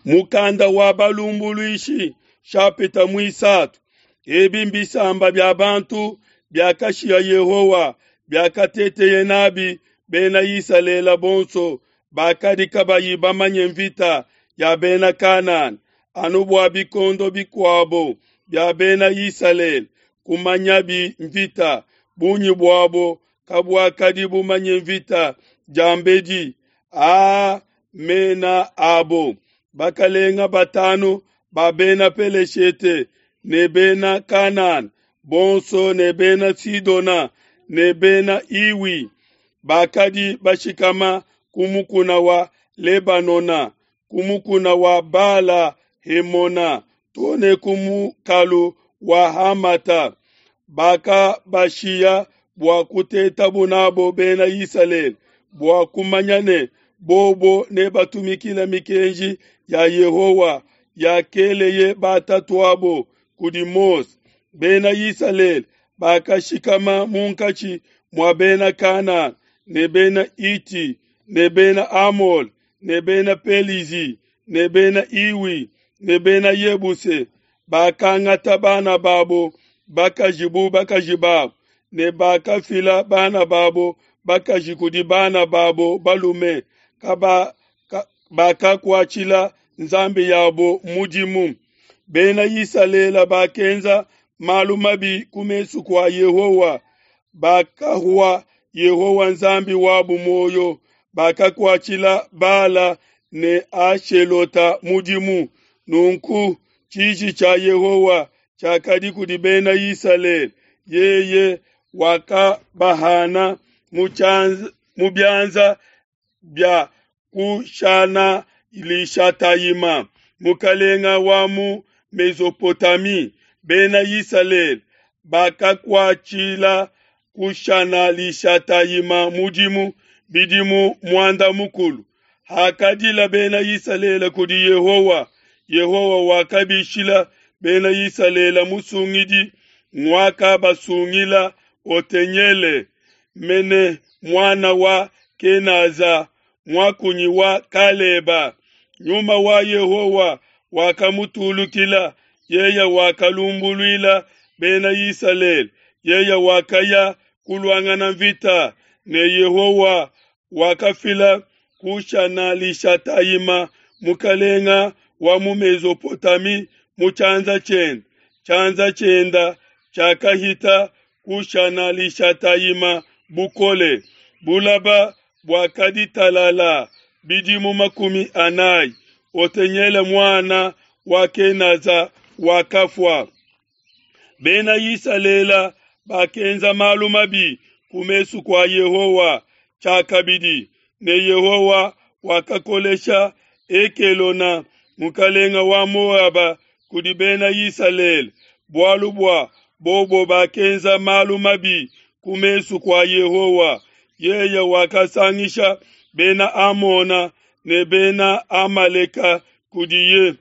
Mukanda wa Balumbuluishi, nshapita muisatu. Ebi mbisamba bia bantu biakashiya Yehowa, biakateteye nabi Bena Isalele bonso bakadi kabayi bamanye mvita ya Bena Kanana, anu bua bikondo bikuabo bia Bena Isalele kumanyabi mvita, bungi buabo kabuakadi bumanye mvita diambedi. Aa mena abo: bakalenga batanu ba Bena Peleshete ne Bena Kanana bonso ne Bena Sidona ne Bena Hiwi bakadi bashikama ku mukuna wa Lebanona, ku mukuna wa Bala Hemona, too ne ku mukalu wa Hamata. Bakabashiya bua kutetabu nabo Bena Isalele, bua kumanya ne bobo nebatumikile mikenji ya Yehowa yakeleye batatuabo kudi Mose. Bena Isalele bakashikama munkatshi mua Bena Kanana ne Bena Hiti ne Bena Amole ne Bena Pelizi ne Bena Hiwi ne Bena Yebuse. Bakangata bana babo bakaji bu bakaji babo, ne bakafila bana babo bakaji kudi bana babo balume, bakakuatshila nzambi yabo mudimu. Bena Isalele bakenza malu mabi ku mesu kua Yehowa, bakahua Yehowa Nzambi wabu muoyo, bakakuatshila Bala ne Ashelota mudimu. Nunku tshiji tshia Yehowa tshiakadi kudi Bena Isalele, yeye wakabahana mu bianza bia Kushana-Lishatayima, mukalenga wa mu Mesopotami. Bena Isalele bakakuatshila Kushana-Lishatayima mudimu bidimu muanda mukulu. Hakadila Bena Isalele kudi Yehowa, Yehowa wakabishila Bena Isalele musungidi, nguakabasungila Otenyele, mene muana wa Kenaza, muakunyi wa Kaleba. Nyuma wa Yehowa wakamutulukila, yeye wakalumbuluila Bena Isalele. Yeye wakaya kuluangana mvita ne Yehowa wakafila Kushana-Lishatayima, mukalenga wa mu Mesopotami, mu tshianza tshiende. Tshianza tshienda tshiakahita Kushana-Lishatayima bukole. Bulaba buakadi talala bidimu 40. Otenyele muana wa Kenaza wakafua. Bena Isalele bakenza malu mabi ku mesu kua Yehowa tshiakabidi, ne Yehowa wakakolesha Ekelona mukalenga wa Moaba kudi Bena Isalele, bualu bua bobo bakenza malu mabi ku mesu kua Yehowa. Yeye wakasangisha Bena Amona ne Bena Amaleka kudiye.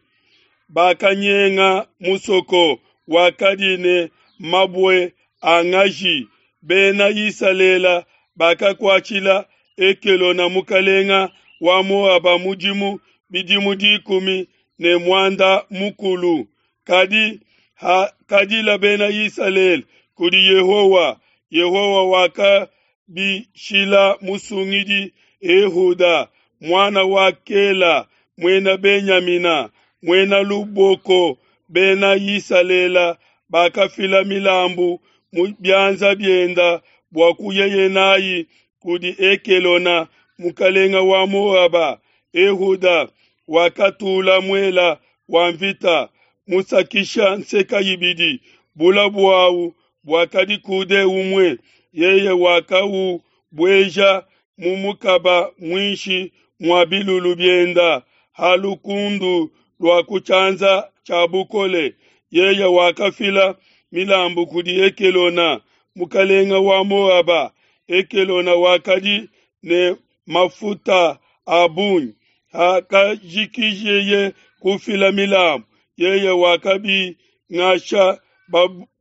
Bakanyenga musoko wakadi ne mabue a ngaji. Bena Isalele bakakuatshila Ekelona mukalenga wa Moaba mudimu bidimu 18. Kadi hakadila Bena Isalele kudi Yehowa, Yehowa wakabishila musungidi Ehuda, muana wa Kela, muena Benyamina, muena luboko. Bena Isalele bakafila milambu mu bianza bienda bua kuyeye nayi kudi Ekelona mukalenga wa Moaba. Ehuda wakatula muela wa mvita musakisha nseka ibidi, bula buawu buakadi kude umue. Yeye wakaubueja mu mukaba muinshi mua bilulu bienda ha lukundu lua ku tshianza tshia bukole. Yeye wakafila milambu kudi Ekelona mukalenga wa Moaba. Ekelona wakadi ne mafuta a bungi. Hakajikijeye kufila milambu, yeye wakabingasha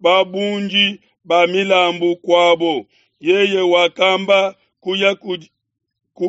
babundi ba milambu kuabo. Yeye wakamba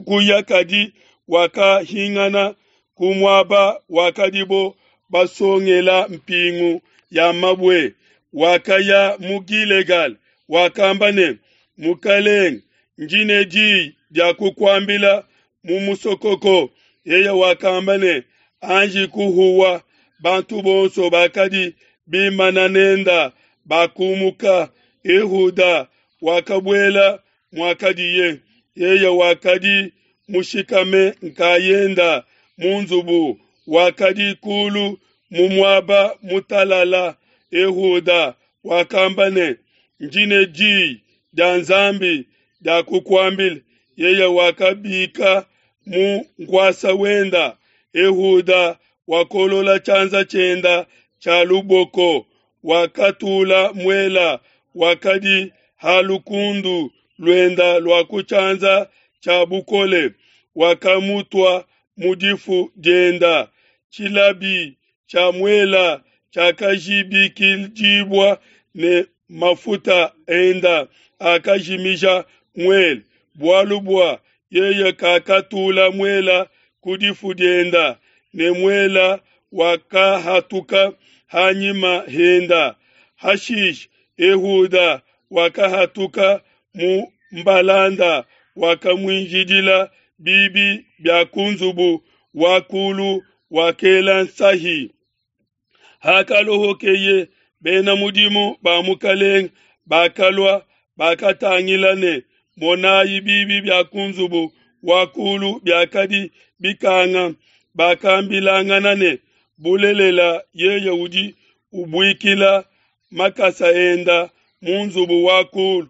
kuya kadi wakahingana. ku muaba wakadibo basongela mpingu ya mabue, wakaya mu Gilegala, wakamba ne, Mukelenge, ndi ne diyi dia kukuambila mu musokoko. Yeye wakamba ne, Anji kuhuwa. Bantu bonso bakadi bimana nenda bakumuka. Ehuda wakabuela muakadiye. Yeye wakadi mushikame nkayenda mu nzubu, wakadi kulu mu muaba mutalala. Ehuda wakamba ne, Ndi ne diyi dia Nzambi dia kukuambila. Yeye wakabika mu nkuasa wenda. Ehuda wakolola tshianza tshienda tshia luboko, wakatula muela wakadi ha lukundu luenda lua ku tshianza tshia bukole, wakamutua mu difu dienda. Tshilabi tshia muela tshiakajibikidibua ne mafuta enda akajimija muele, bualu bua yeye kakatula muela ku difu dienda, ne muela wakahatuka hanyima henda. Hashishe Ehuda wakahatuka mu mbalanda, wakamuinjidila bibi bia ku nzubu wa kulu, wakela nsahi. Hakalohokeye, bena mudimu ba mukelenge bakalua, bakatangila ne, monayi, bibi bia ku nzubu wa kulu biakadi bikanga. Bakambilangana ne, Bulelela, yeye udi ubuikila makasa enda mu nzubu wa kulu.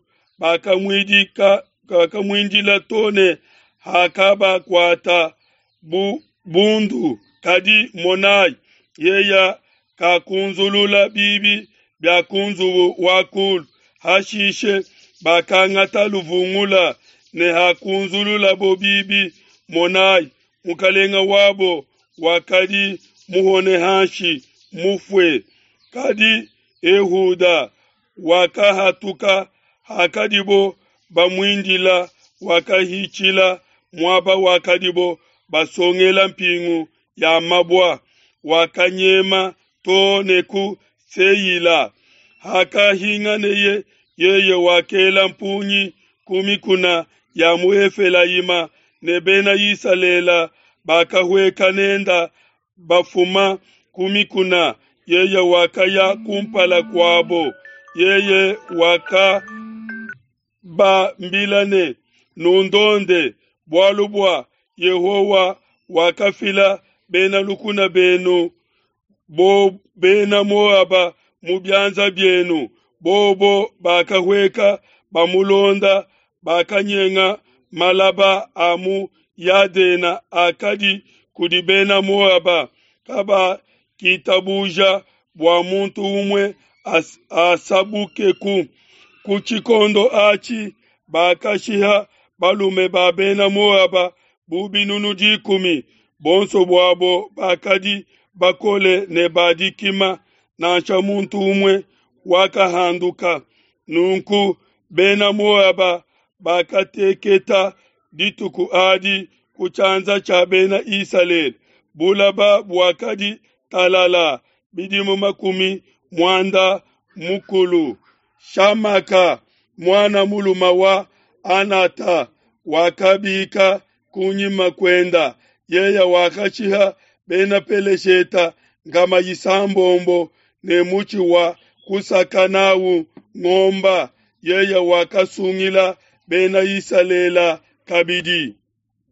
Bakamuindila to ne hakabakuata bu bundu. Kadi monayi, yeye kakunzulula bibi bia ku nzubu wa kulu. Hashishe bakangata luvungula ne hakunzululabo bibi, monayi, mukelenge wabo wakadi muhone hanshi mufue. Kadi Ehuda wakahatuka hakadibo bamuindila, wakahitshila muaba wakadibo basongela mpingu ya mabua, wakanyema to ne ku Seila. Hakahinganeye, yeye wakela mpungi ku mikuna ya mu Efelayima, ne Bena Isalele bakahueka nenda bafuma ku mikuna. Yeye wakaya kumpala kuabo. Yeye wakabambila ne, Nundonde, bualu bua Yehowa wakafila bena lukuna benu bo bena Moaba mu bianza bienu. Bobo bakahueka bamulonda, bakanyenga malaba a mu Yadena akadi kudi bena Moaba. Kabakitabuja bua muntu umue asabukeku. Ku tshikondo atshi bakashiha balume ba bena Moaba bu 10,000, bonso buabo bakadi bakole ne ba dikima, nansha muntu umue wakahanduka. Nunku bena Moaba bakateketa dituku adi ku tshianza tshia bena Isalele. Bulaba buakadi talala bidimu 90. Shamaka muana muluma wa Anata wakabika kunyima kuenda. Yeye wakashiha bena Pelesheta 600 ne mutshi wa kusaka nawu ngomba. Yeye wakasungila bena Isalele kabidi.